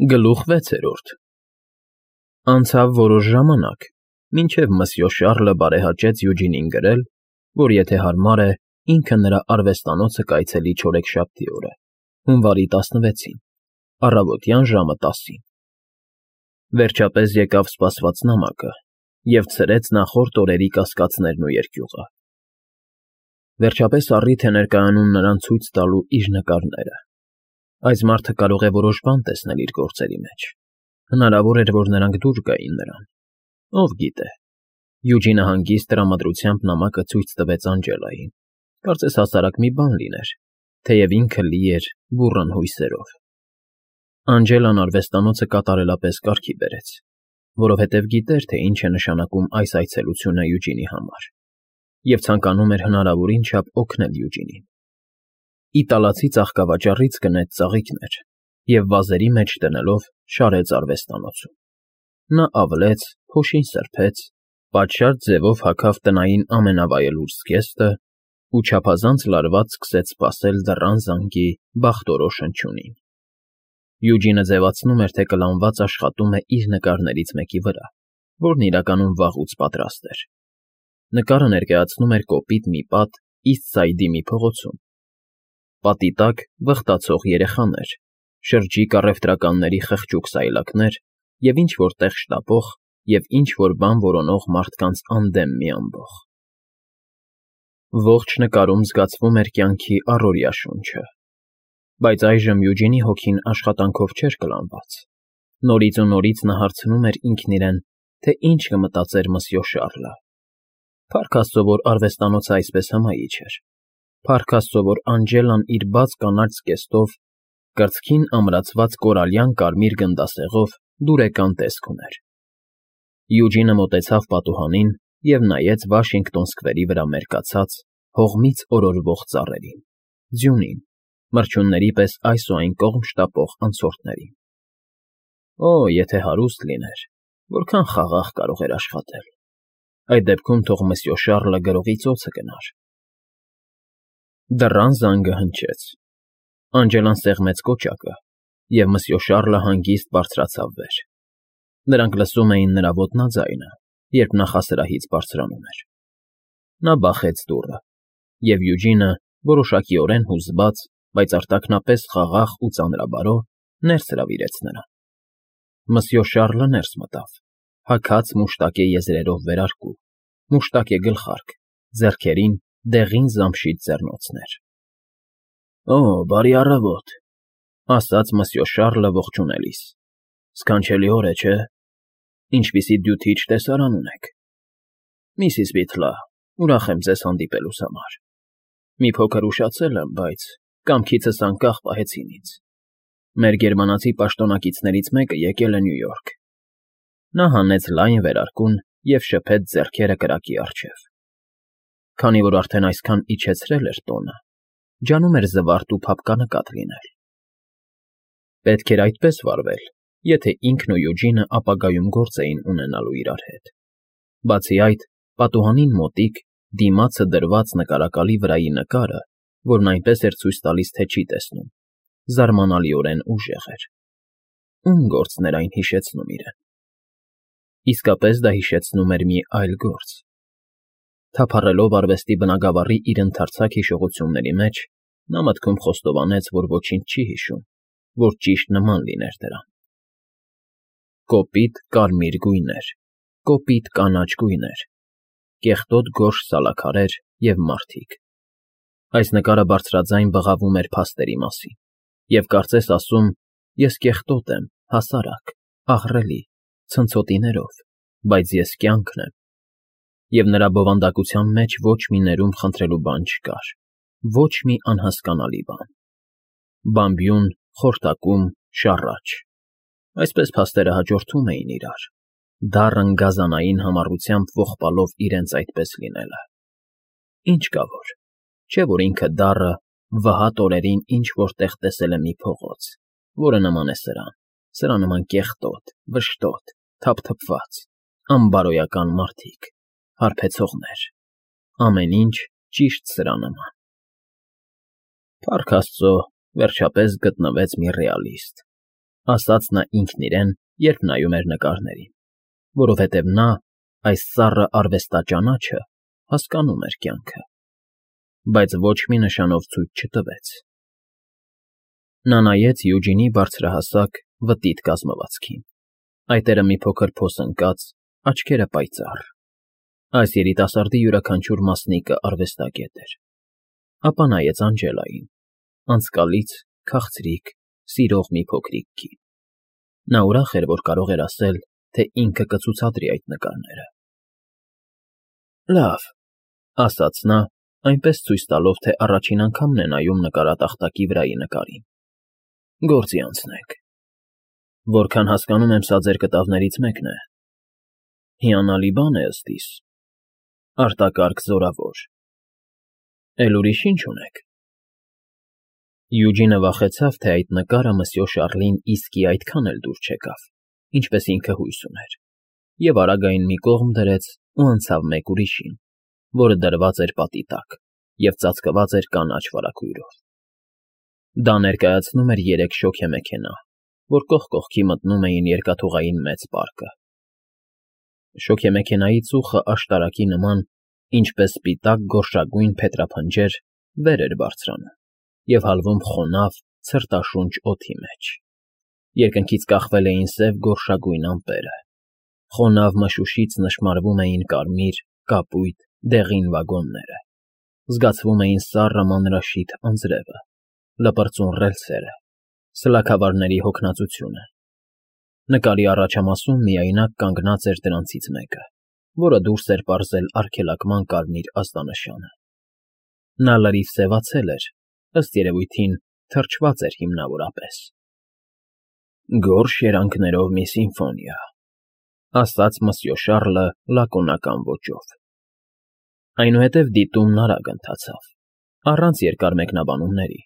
Գլուխ 6 Անցավ որոշ ժամանակ, մինչև Մսյո Շառլը բարեհաճեց Յուջինին գրել, որ եթե հարմար է, ինքը նրա արվեստանոցը կայցելի չորեքշաբթի օրը, հունվարի 16-ին, առավոտյան ժամը 10-ին։ Վերջապես եկավ սպասված նամակը և ցրեց նախորդ օրերի կասկածներն ու երկյուղը։ Վերջապես առիթ է ներկայանում նրան ցույց տալու իր նկարները։ Այս մարդը կարող է որոշ բան տեսնել իր գործերի մեջ։ Հնարավոր էր, որ նրանք դուր գային նրան։ Ով գիտե։ Յուջինը հանգիստ տրամադրությամբ նամակը ցույց տվեց Անջելային։ Կարծես հասարակ մի բան լիներ, թեև ինքը լի էր բուռն հույսերով։ Անջելան արվեստանոցը կատարելապես կարգի բերեց, որովհետև գիտեր, թե ինչ է նշանակում այս այցելությունը Յուջինի համար, և ցանկանում էր հնարավորին չափ օգնել Յուջինին։ Իտալացի ծաղկավաճառից գնեց ծաղիկներ և վազերի մեջ դնելով շարեց արվեստանոցում։ Նա ավլեց, փոշին սրբեց, պատշաճ ձևով հագավ տնային ամենավայելուչ զգեստը ու չափազանց լարված սկսեց սպասել դռան զանգի բախտորոշ հնչյունին։ Յուջինը ձևացնում էր, թե կլանված աշխատում է իր նկարներից մեկի վրա, որն իրականում վաղուց պատրաստ էր։ Նկարը ներկայացնում էր կոպիտ մի պատ Իսթսայդի մի փողոցում։ Պատի տակ վխտացող երեխաներ, շրջիկ առևտրականների խղճուկ սայլակներ և ինչ֊որ տեղ շտապող և ինչ֊որ բան որոնող մարդկանց անդեմ մի ամբոխ։ Ողջ նկարում զգացվում էր կյանքի առօրյա շունչը։ Բայց այժմ Յուջինի հոգին աշխատանքով չէր կլանված։ Նորից ու նորից նա հարցնում էր ինքն իրեն, թե ինչ կմտածեր Մսյո Շառլը։ Փառք Աստծո, որ արվեստանոցը այսպես հմայիչ էր։ Փառք Աստծո, որ Անջելան իր բաց կանաչ զգեստով, կրծքին ամրացված կորալյան կարմիր գնդասեղով դուրեկան տեսք ուներ։ Յուջինը մոտեցավ պատուհանին և նայեց Վաշինգտոն Սքվերի վրա մերկացած, հողմից օրորվող ծառերին, ձյունին, մրջյունների պես այս ու այն կողմ շտապող անցորդներին։ Օ, եթե հարուստ լիներ, որքան խաղաղ կարող էր աշխատել։ Այդ դեպքում թող Մսյո Շառլը գրողի ծոցը գնար։ Դռան զանգը հնչեց։ Անջելան սեղմեց կոճակը, և Մսյո Շառլը հանգիստ բարձրացավ վեր։ Նրանք լսում էին նրա ոտնաձայնը, երբ նախասրահից բարձրանում էր։ Նա բախեց դուռը, և Յուջինը, որոշակիորեն հուզված, բայց արտաքնապես խաղաղ ու ծանրաբարո, ներս հրավիրեց նրան։ Մսյո Շառլը ներս մտավ, հագած մուշտակե եզրերով վերարկու, մուշտակե գլխարկ, ձեռքերին դեղին զամշիծ ձեռնոցներ։ Օ, բարի առավոտ, ասաց Մսյո Շառլը ողջունելիս։ Սքանչելի օր է, չէ՞։ Ինչպիսի դյութիչ տեսարան ունեք։ Միսիս Բիթլա, ուրախ եմ ձեզ հանդիպելուս համար։ Մի փոքր ուշացել եմ, բայց կամքիցս անկախ պահեցին ինձ։ Մեր գերմանացի պաշտոնակիցներից մեկը եկել է Նյու Յորք։ Նա հանեց լայն վերարկուն և շփեց ձեռքերը կրակի առջև։ Քանի որ արդեն այսքան իջեցրել էր տոնը, ջանում էր զվարթ ու փափկանկատ լինել։ Պետք էր այդպես վարվել, եթե ինքն ու Յուջինը ապագայում գործ էին ունենալու իրար հետ։ Բացի այդ, պատուհանին մոտիկ, դիմացը դրված նկարակալի վրայի նկարը, որն այնպես էր ցույց տալիս, թե չի տեսնում, զարմանալիորեն ուժեղ էր։ Ում գործն էր այն հիշեցնում իրեն։ Իսկապես դա հիշեցնում էր մի այլ գործ։ Թափառելով արվեստի բնագավառի իր ընդարձակ հիշողությունների մեջ, նա մտքում խոստովանեց, որ ոչինչ չի հիշում, որ ճիշտ նման լիներ դրան։ Կոպիտ կարմիր գույներ, կոպիտ կանաչ գույներ, կեղտոտ գորշ սալաքարեր և մարդիկ։ Այս նկարը բարձրաձայն բղավում էր փաստերի մասին, և կարծես ասում. «Ես կեղտոտ եմ, հասարակ, ահռելի, ցնցոտիներով, բայց ես կյանքն եմ»։ Եվ նրա բովանդակության մեջ ոչ մի ներում խնդրելու բան չկար, ոչ մի անհասկանալի բան։ Բամբիուն, խորտակում, շառաչ։ Այսպես փաստերը հաջորդում էին իրար, դառն գազանային համառությամբ ողբալով իրենց այդպես լինելը։ Ինչ կա որ, չէ՞ որ ինքը դառը վհատ օրերին ինչ֊որ տեղ տեսել է մի փողոց, որը նման է սրան, սրա նման կեղտոտ, վշտոտ, թափթփված, անբարոյական մարդիկ, հարբեցողներ, ամեն ինչ ճիշտ սրա նման։ Փառք Աստծո, վերջապես գտնվեց մի ռեալիստ։ ասաց նա ինքն իրեն, երբ նայում էր նկարներին, որովհետև նա այս սառը արվեստաճանաչը հասկանում էր կյանքը, բայց ոչ մի նշանով ցույց չտվեց։ Նա նայեց Յուջինի բարձրահասակ, վտիտ կազմվածքին, այտերը մի փոքր փոսընկած, աչքերը պայծառ։ Այս երիտասարդի յուրաքանչյուր մասնիկը արվեստագետ էր։ Ապա նայեց Անջելային, անցկալից, քաղցրիկ, սիրող մի փոքրիկ կին։ Նա ուրախ էր, որ կարող էր ասել, թե ինքը կցուցադրի այդ նկարները։ Լավ, ասաց նա, այնպես ցույց տալով, թե առաջին անգամն է նայում նկարատախտակի վրայի նկարին։ Գործի անցնենք։ Որքան հասկանում եմ, սա ձեր կտավներից մեկն է։ Հիանալի բան է ըստ իս։ Արտակարգ զորավոր։ Էլ ուրիշ ինչ ունեք։ Յուջինը վախեցավ, թե այդ նկարը Մսյո Շարլին իսկի այդքան էլ դուր չեկավ, ինչպես ինքը հույս ուներ, և արագային մի կողմ դրեց ու անցավ մեկ ուրիշին, որը դրված էր պատի տակ և ծածկված էր կանաչ վարագույրով։ Դա ներկայացնում էր 3 շոգեմեքենա, որ կողք կողքի մտնում էին երկաթուղային մեծ պարկը։ Շոգեմեքենայի ծուխը աշտարակի նման, ինչպես սպիտակ գորշագույն փետրափնջեր, վեր էր բարձրանում և հալվում խոնավ, ցրտաշունչ օդի մեջ։ Երկնքից կախվել էին սև գորշագույն ամպերը։ Խոնավ մշուշից նշմարվում էին կարմիր, կապույտ, դեղին վագոնները։ Զգացվում էին սառը մանրաշիթ անձրևը, լպրծուն ռելսերը, սլաքավարների հոգնածությունը։ Նկարի առաջամասում միայնակ կանգնած էր դրանցից մեկը, որը դուրս էր պարզել արգելակման կարմիր ազդանշանը։ Նա լրիվ սևացել էր, ըստ երևույթին թրջված էր հիմնավորապես։ Գորշ երանգներով մի սիմֆոնիա, ասաց Մսյո Շարլը լակոնական ոճով։ Այնուհետև դիտումն արագ ընթացավ, առանց երկար մեկնաբանումների։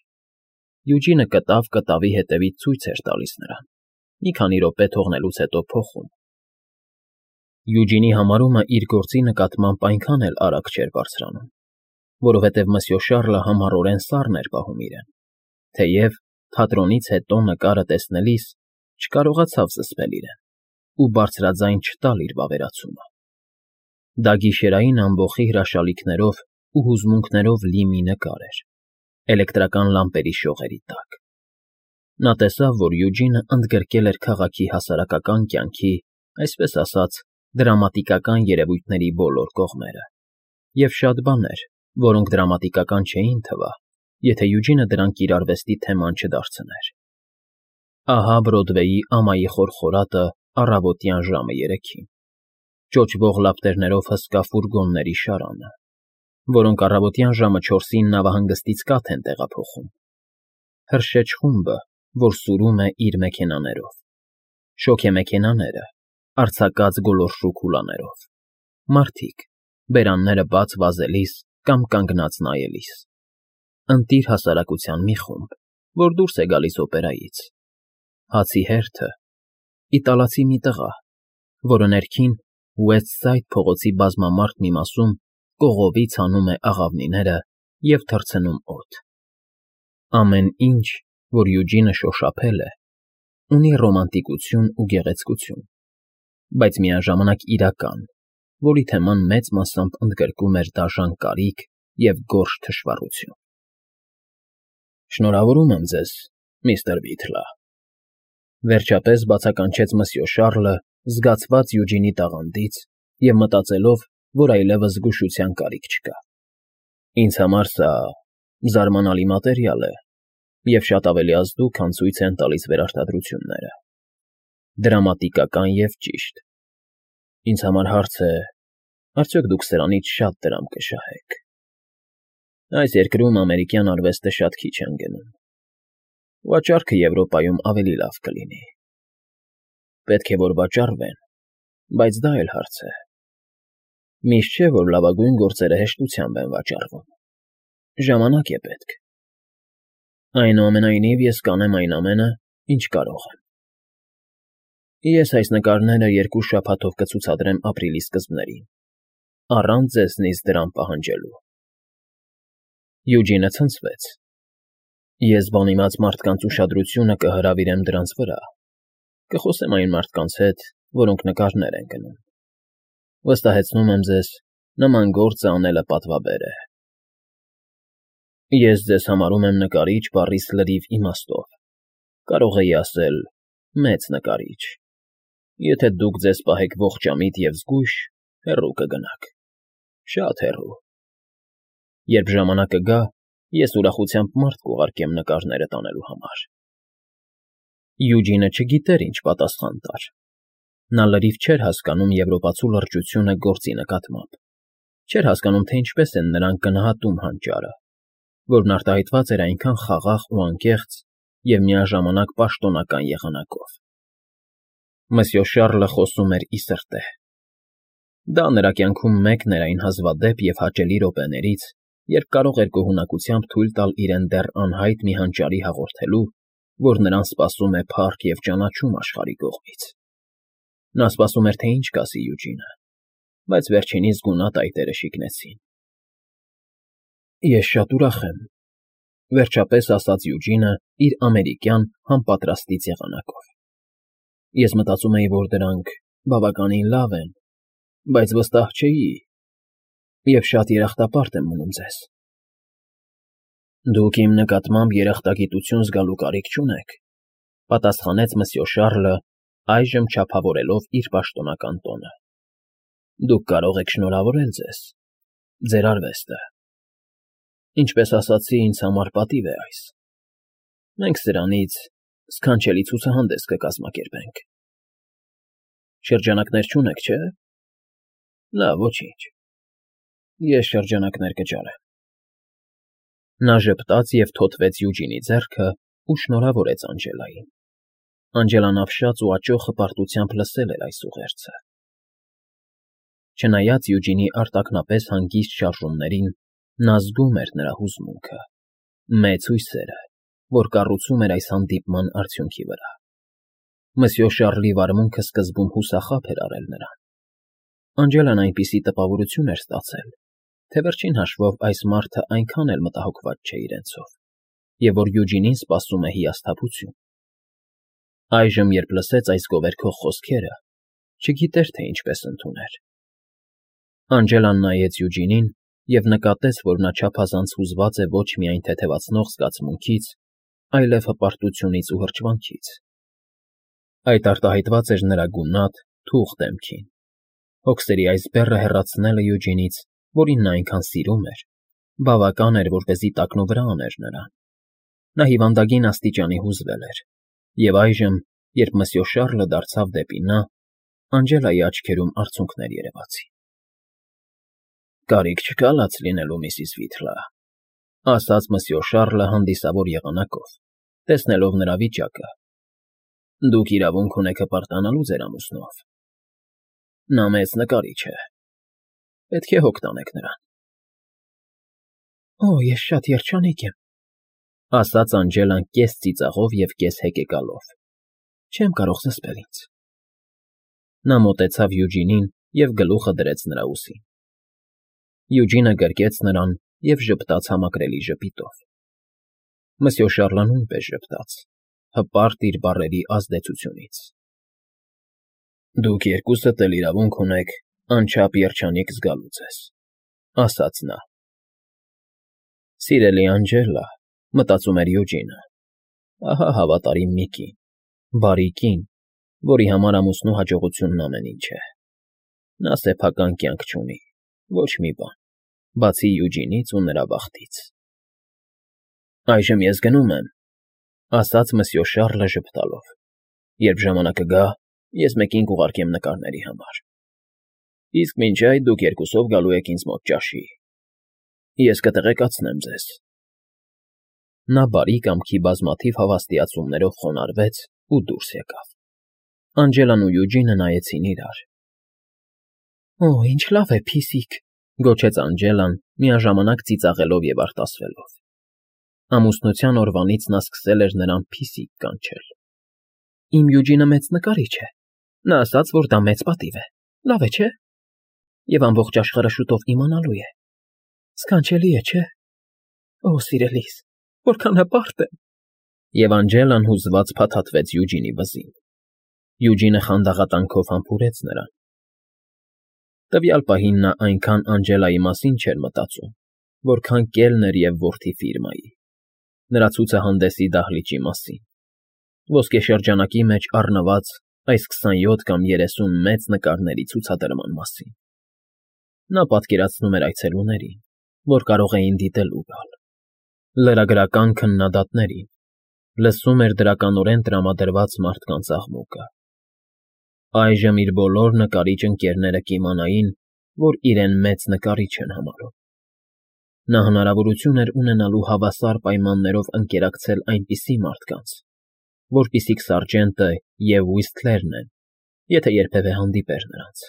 Յուջինը կտավ կտավի հետևից ցույց էր տալիս նրան, մի քանի րոպե թողնելուց հետո փոխում։ Յուջինի համարումը իր գործի նկատմամբ այնքան էլ արագ չէր բարձրանում, որովհետև Մսյո Շարլը համառորեն սառն էր պահում իրեն, թեև թատրոնից հետո նկարը տեսնելիս չկարողացավ զսպել իրեն ու բարձրաձայն չտալ իր վավերացումը։ Դա գիշերային ամբոխի հրաշալիքներով ու հուզմունքներով լի մի նկար էր, էլեկտրական լամպերի շողերի տակ։ Նա տեսավ, որ Յուջինը ընդգրկել էր քաղաքի հասարակական կյանքի, այսպես ասած, դրամատիկական երևույթների բոլոր կողմերը, և շատ բաներ, որոնք դրամատիկական չէին թվա, եթե Յուջինը դրանք իր արվեստի թեման չդարձներ։ Ահա Բրոդվեյի ամայի խորխորատը առավոտյան ժամը 3-ին, ճոճվող լապտերներով հսկա ֆուրգոնների շարանը, որոնք առավոտյան ժամը 4-ին նավահանգստից կաթ են տեղափոխում, հրշեջ խումբը, որ սուրում է իր մեքենաներով, շոգեմեքենաները, արձակած գոլորշու քուլաներով, մարդիկ, բերանները բաց վազելիս կամ կանգնած նայելիս, ընտիր հասարակության մի խումբ, որ դուրս է գալիս օպերայից, հացի հերթը, իտալացի մի տղա, որը ներքին Ուեսթսայդ փողոցի բազմամարդ մի մասում կողովից հանում է աղավնիները և թռցնում օդ։ Ամեն ինչ, որ Յուջինը շոշափել է, ունի ռոմանտիկություն ու գեղեցկություն, բայց միաժամանակ իրական, որի թեման մեծ մասամբ ընդգրկում էր դաժան կարիք և գորշ թշվառություն։ Շնորհավորում եմ ձեզ, միստր Բիթլը, վերջապես բացականչեց Մսյո Շարլը, զգացված Յուջինի տաղանդից և մտածելով, որ այլևս զգուշության կարիք չկա։ Ինձ համար սա զարմանալի մատերիալ է և շատ ավելի ազդու, քան ցույց են տալիս վերարտադրությունները։ Դրամատիկական և ճիշտ։ Ինձ համար հարց է, արդյոք դուք սրանից շատ դրամ կշահեք։ Այս երկրում ամերիկյան արվեստը շատ քիչ են գնում։ Վաճառքը Եվրոպայում ավելի լավ կլինի։ Պետք է, որ վաճառվեն, բայց դա էլ հարց է։ Միշտ չէ, որ լավագույն գործերը հեշտությամբ են վաճառվում։ Ժամանակ է պետք։ Այնուամենայնիվ ես կանեմ այն ամենը, ինչ կարող եմ։ Ես այս նկարները 2 շաբաթով կցուցադրեմ ապրիլի սկզբներին, առանց ձեզնից դրամ պահանջելու։ Յուջինը ցնցվեց։ Ես բանիմաց մարդկանց ուշադրությունը կհրավիրեմ դրանց վրա, Կխոսեմ այն մարդկանց հետ, որոնք նկարներ են գնում։ Վստահեցնում եմ ձեզ, նման գործը անելը պատվաբեր է։ Ես ձեզ համարում եմ նկարիչ բառիս լրիվ իմաստով, կարող էի ասել մեծ նկարիչ։ Եթե դուք ձեզ պահեք ողջամիտ և զգույշ, հեռու կգնաք, շատ հեռու։ Երբ ժամանակը գա, ես ուրախությամբ մարդ կուղարկեմ նկարները տանելու համար։ Յուջինը չգիտեր ինչ պատասխան տար։ Նա լրիվ չէր հասկանում եվրոպացու լրջությունը գործի նկատմամբ, չէր հասկանում, թե ինչպես են նրանք գնահատում հանճարը, որն արտահայտված էր այնքան խաղաղ ու անկեղծ և միաժամանակ պաշտոնական եղանակով։ Մսյո Շառլը խոսում էր ի սրտե։ Դա նրա կյանքում մեկն էր այն հազվադեպ և հաճելի րոպեներից, երբ կարող էր գոհունակությամբ թույլ տալ իրեն դեռ անհայտ մի հանճարի հաղորդելու, որ նրան սպասում է փառք և ճանաչում աշխարհի կողմից։ Նա սպասում էր, թե ինչ կասի Յուջինը, բայց վերջինիս գունատ այտերը շիկնեցին։ Ես շատ ուրախ եմ, վերջապես ասաց Յուջինը իր ամերիկյան համապատրաստից եղանակով։ Ես մտածում էի, որ դրանք բավականին լավ են, բայց վստահ չէի և շատ երախտապարտ եմ մնում ձեզ։ Դուք իմ նկատմամբ երախտագիտություն զգալու կարիք չունեք, պատասխանեց մսյո Շառլը, այժմ չափավորելով իր պաշտոնական տոնը։ Դուք կարող եք շնորհավորել ձեզ, ձեր արվեստը։ Ինչպես ասացի, ինձ համար պատիվ է այս։ Մենք սրանից սքանչելի ցուցահանդես կկազմակերպենք։ Շրջանակներ չունեք, չէ՞։ Լավ, ոչինչ։ Ես շրջանակներ կճարեմ։ Նա ժպտաց և թոթվեց Յուջինի ձեռքը ու շնորհավորեց Անջելային։ Անջելան ապշած ու աճող հպարտությամբ լսել էր այս ուղերձը։ Չնայած Յուջինի արտաքնապես հանգիստ շարժումներին, նա զգում էր նրա հուզմունքը, մեծ հույսերը, որ կառուցում էր այս հանդիպման արդյունքի վրա։ Մսյո Շառլի վարմունքը սկզբում հուսախաբ էր արել նրան։ Անջելան այնպիսի տպավորություն էր ստացել, թե վերջին հաշվով այս մարդը այնքան էլ մտահոգված չէ իրենցով, և որ Յուջինին սպասում է հիասթափություն։ Այժմ, երբ լսեց այս գովերգող խոսքերը, չգիտեր, թե ինչպես ընդուներ։ Անջելան նայեց Յուջինին և նկատեց, որ նա չափազանց հուզված է ոչ միայն թեթևացնող զգացմունքից, այլև հպարտությունից ու հրճվանքից։ Այդ արտահայտված էր նրա գունատ, թուղ դեմքին։ Հոգսերի այս բեռը հեռացնելը Յուջինից, որին նա այնքան սիրում էր, բավական էր, որպեսզի տակնու վրա աներ նրան։ Նա հիվանդագին աստիճանի հուզվել էր, և այժմ, երբ մսյո Շառլը դարձավ դեպի նա, Անջելայի աչքերում արցունքներ երևացին։ Կարիք չկա լաց լինելու, միսիս Վիթլա, ասաց մսյո Շառլը հանդիսավոր եղանակով, տեսնելով նրա վիճակը։ Դուք իրավունք ունեք հպարտանալու ձեր ամուսնով։ Նա մեծ նկարիչ է։ Պետք է հոգ տանեք նրան։ Օ, ես շատ երջանիկ եմ, ասաց Անջելան կես ծիծաղով և կես հեկեկալով։ Չեմ կարող զսպել ինձ։ Նա մոտեցավ Յուջինին և գլուխը դրեց նրա ուսին։ Յուջինը գրկեց նրան և ժպտաց համակրելի ժպիտով։ Մսյո Շառլը նույնպես ժպտաց, հպարտ իր բառերի ազդեցությունից։ Դուք երկուսդ էլ իրավունք ունեք անչափ երջանիկ զգալու ձեզ, ասաց նա։ Սիրելի Անջելա, մտածում էր Յուջինը, ահա հավատարիմ մի կին, բարի կին, որի համար ամուսնու հաջողությունն ամեն ինչ է։ Նա սեփական կյանք չունի, ոչ մի բան, բացի Յուջինից ու նրա բախտից։ Այժմ ես գնում եմ, ասաց մսյո Շառլը ժպտալով։ Երբ ժամանակը գա, ես մեկին կուղարկեմ նկարների համար։ Իսկ մինչ այդ դուք երկուսով գալու եք ինձ մոտ ճաշի։ Ես կտեղեկացնեմ ձեզ։ Նա բարի կամքի բազմաթիվ հավաստիացումներով խոնարհվեց ու դուրս եկավ։ Անջելան ու Յուջինը նայեցին իրար։ Օ, ինչ լավ է, փիսիկ, գոչեց Անջելան, միաժամանակ ծիծաղելով և արտասվելով։ Ամուսնության օրվանից նա սկսել էր նրան փիսիկ կանչել։ Իմ Յուջինը մեծ նկարիչ է։ Նա ասաց, որ դա մեծ պատիվ է։ Լավ է, չէ՞։ Եվ ամբողջ աշխարհը շուտով իմանալու է։ Սքանչելի է, չէ՞։ Օ, սիրելիս, որքան հպարտ եմ։ Եվ Անջելան հուզված փաթաթվեց Յուջինի վզին։ Յուջինը խանդաղատանքով համբուրեց նրան։ Տվյալ պահին նա այնքան Անջելայի մասին չէր մտածում, որքան կելներ և որդի Ֆիրմայի, նրա ցուցահանդեսի դահլիճի մասին, ոսկեշրջանակի մեջ առնված այս 27 կամ 30 մեծ նկարների ցուցադրման մասին։ Նա պատկերացնում էր այցելուներին, որ կարող էին դիտել ու գալ, լրագրական քննադատներին, լսում էր դրականորեն տրամադրված մարդկանց աղմուկը։ Այժմ իր բոլոր նկարիչ ընկերները կիմանային, որ իրեն մեծ նկարիչ են համարում։ Նա հնարավորություն էր ունենալու հավասար պայմաններով ընկերակցել այնպիսի մարդկանց, որպիսիք սարժենտը և Ուիսթլերն են, եթե երբևէ հանդիպեր նրանց։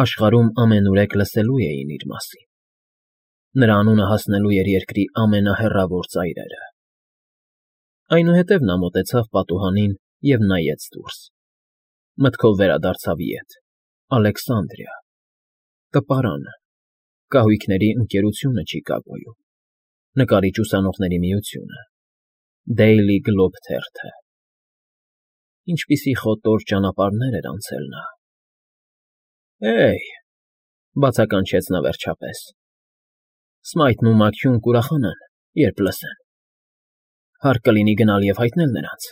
Աշխարհում ամենուրեք լսելու էին իր մասին։ Նրա անունը հասնելու էր երկրի ամենահեռավոր ծայրերը։ Այնուհետև նա մոտեցավ պատուհանին և նայեց դուրս։ Մտքով վերադարձավ ետ, Ալեքսանդրիա, տպարանը, կահույքների ընկերությունը Չիկագոյում, նկարիչ ուսանողների միությունը, Daily Globe թերթը։ Ինչպիսի խոտոր ճանապարհներ էր անցել նա։ Հե՜յ,֊ բացականչեց նա վերջապես,֊ Սմայթն ու Մաքփյուն կուրախանան, երբ լսեն։ Հարկ կլինի գնալ և հայտնել նրանց,